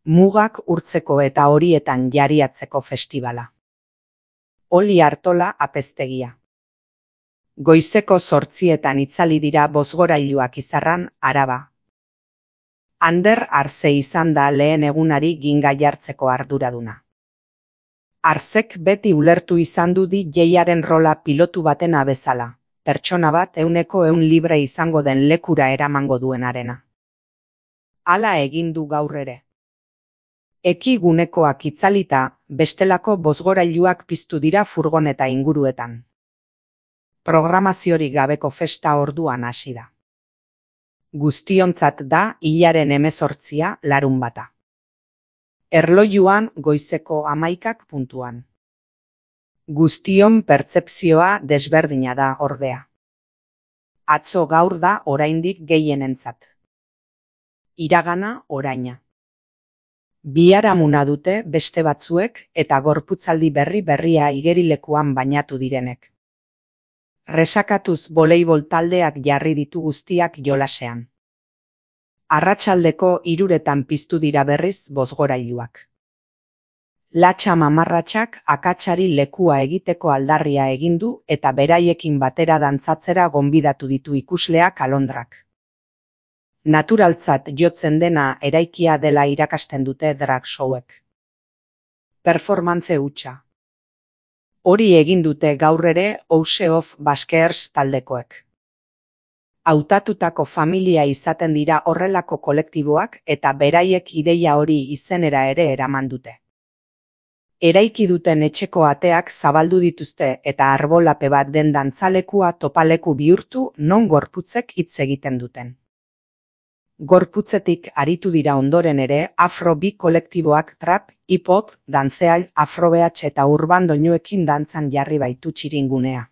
Mugak urtzeko eta horietan jariatzeko festibala. Oli Artola apeztegia. Goizeko 8etan itzali dira bozgorailuak Izarran, Araba. Ander Arze izan da lehen egunari ginga jartzeko arduraduna. Arzek beti ulertu izan du DJaren rola pilotu baten bezala, pertsona bat 100% libre izango den lekura eramango duenarena. Hala egin du gaur ere. Eki gunekoak itzalita, bestelako bozgorailuak piztu dira furgoneta inguruetan. Programaziorik gabeko festa orduan hasi da. Guztiontzat da hilaren 18, larunbata. Erlojuan goizeko 11 . Guztion pertzepzioa desberdina da ordea. Atzo gaur da oraindik gehienentzat. Iragana oraina. Biharamuna dute beste batzuek eta gorputzaldi berria igerilekuan bainatu direnek. Resakatuz voleibol taldeak jarri ditu guztiak jolasean. Arratsaldeko 3etan piztu dira berriz bozgorailuak. Latxa mamarratxak akatsari lekua egiteko aldarria egin du eta beraiekin batera dantzatzera gonbidatu ditu ikusleak alondrak. Naturaltzat jotzen dena eraikia dela irakasten dute drag showek. Performance hutsa. Hori egin dute gaur ere House of Baskers taldekoek. Hautatutako familia izaten dira horrelako kolektiboak eta beraiek ideia hori izenera ere eraman dute. Eraiki duten etxeko ateak zabaldu dituzte eta arbolape bat den dantzalekua topaleku bihurtu non gorputzek hitz egiten duten. Gorputzetik aritu dira ondoren ere afro bi kolektiboak trap, hip-hop, dantzeal, afrobeatx eta urban doinuekin dantzan jarri baitu txiringunea.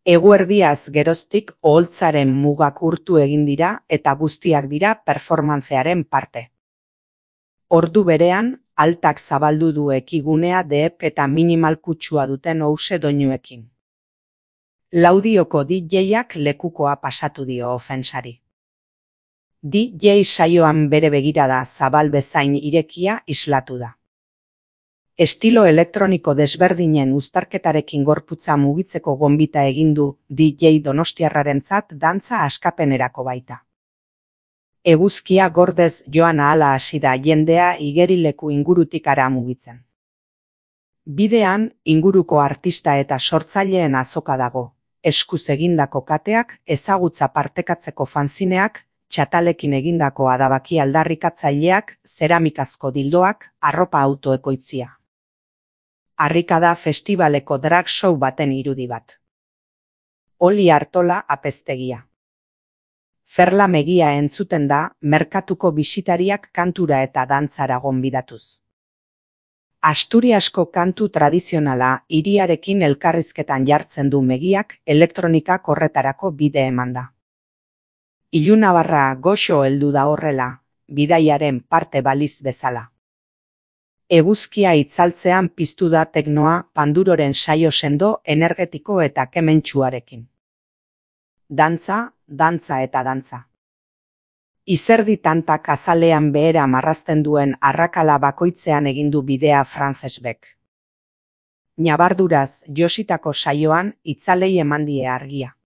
Eguerdiaz geroztik oholtzaren mugak urtu egin dira eta guztiak dira performancearen parte. Ordu berean, altak zabaldu du ekigunea deep eta minimal kutsua duten house doinuekin. Laudioko DJak lekukoa pasatu dio ofensari. DJ saioan bere begirada zabal bezain irekia islatu da. Estilo elektroniko desberdinen uztarketarekin gorputza mugitzeko gonbita egin du DJ donostiarrarentzat dantza askapenerako baita. Eguzkia gordez joan ahala hasi da jendea igerileku ingurutik ara mugitzen. Bidean inguruko artista eta sortzaileen azoka dago, eskuz egindako kateak, ezagutza partekatzeko fanzineak, txatalekin egindako adabaki aldarrikatzaileak, zeramikazko dildoak, arropa autoekoitzia. Harrikada festivaleko drag show baten irudi bat. Oli Artola apeztegia. Ferla Megia entzuten da merkatuko bisitariak kantura eta dantzara gonbidatuz. Asturiasko kantu tradizionala hiriarekin elkarrizketan jartzen du Megiak elektronikak horretarako bide eman da. Ilunabarra goxo heldu da horrela, bidaiaren parte baliz bezala. Eguzkia itzaltzean piztu da teknoa Panduroren saio sendo, energetiko eta kementsuarekin. Dantza, dantza eta dantza. Izerdi tantak azalean behera marrazten duen arrakala bakoitzean egin du bidea Francesbek. Nabarduraz jositako saioan itzalei eman die argia.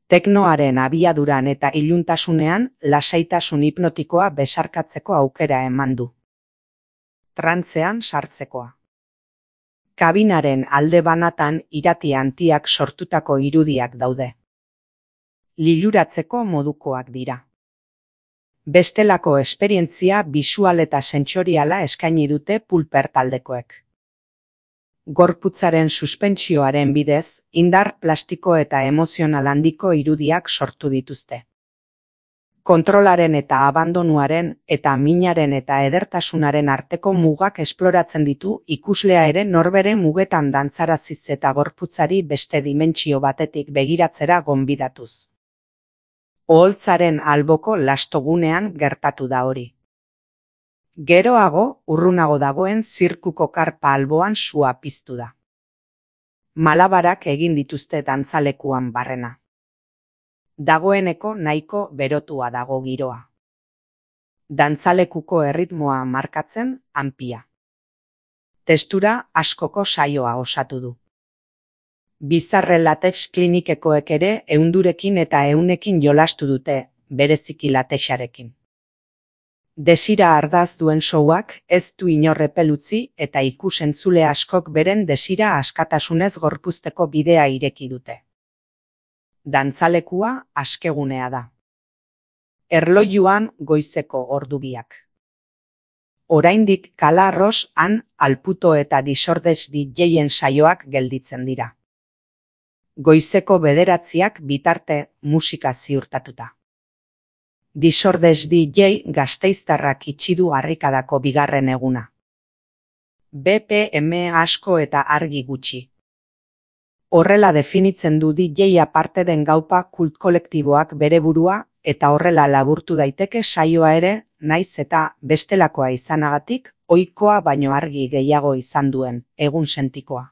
Teknoaren abiaduran eta iluntasunean lasaitasun hipnotikoa besarkatzeko aukera eman du. Trantzean sartzekoa. Kabinaren alde banatan irati antiak sortutako irudiak daude. Liluratzeko modukoak dira. Bestelako esperientzia bisual eta sentsoriala eskaini dute Pulper taldekoek. Gorputzaren suspentsioaren bidez, indar plastiko eta emozional handiko irudiak sortu dituzte. Kontrolaren eta abandonuaren eta minaren eta edertasunaren arteko mugak esploratzen ditu ikuslea ere norbere mugetan dantzaraziz eta gorputzari beste dimentsio batetik begiratzera gonbidatuz. Oholtzaren alboko lastogunean gertatu da hori. Geroago, urrunago dagoen zirkuko karpa alboan sua piztu da. Malabarak egin dituzte dantzalekuan barrena. Dagoeneko nahiko berotua dago giroa. Dantzalekuko erritmoa markatzen anpia. Testura askoko saioa osatu du. Bizarre latex klinikekoek ere ehundurekin eta ehunekin jolastu dute, bereziki latexarekin. Desira ardaz duen showak ez du inor epel utzi eta ikus-entzule askok beren desira askatasunez gorpuzteko bidea ireki dute. Dantzalekua askegunea da. Erlojuan goizeko ordu biak. Oraindik Kalarros, Han, Alputo eta Disordes DJen saioak gelditzen dira. Goizeko 9 bitarte musika ziurtatuta. Disordes DJ gasteiztarrak itxi du harrikadako bigarren eguna. BPM asko eta argi gutxi. Horrela definitzen du DJ aparte den gaupa kult kolektiboak bere burua eta horrela laburtu daiteke saioa ere, naiz eta bestelakoa izanagatik, ohikoa baino argi gehiago izan duen egunsentikoa.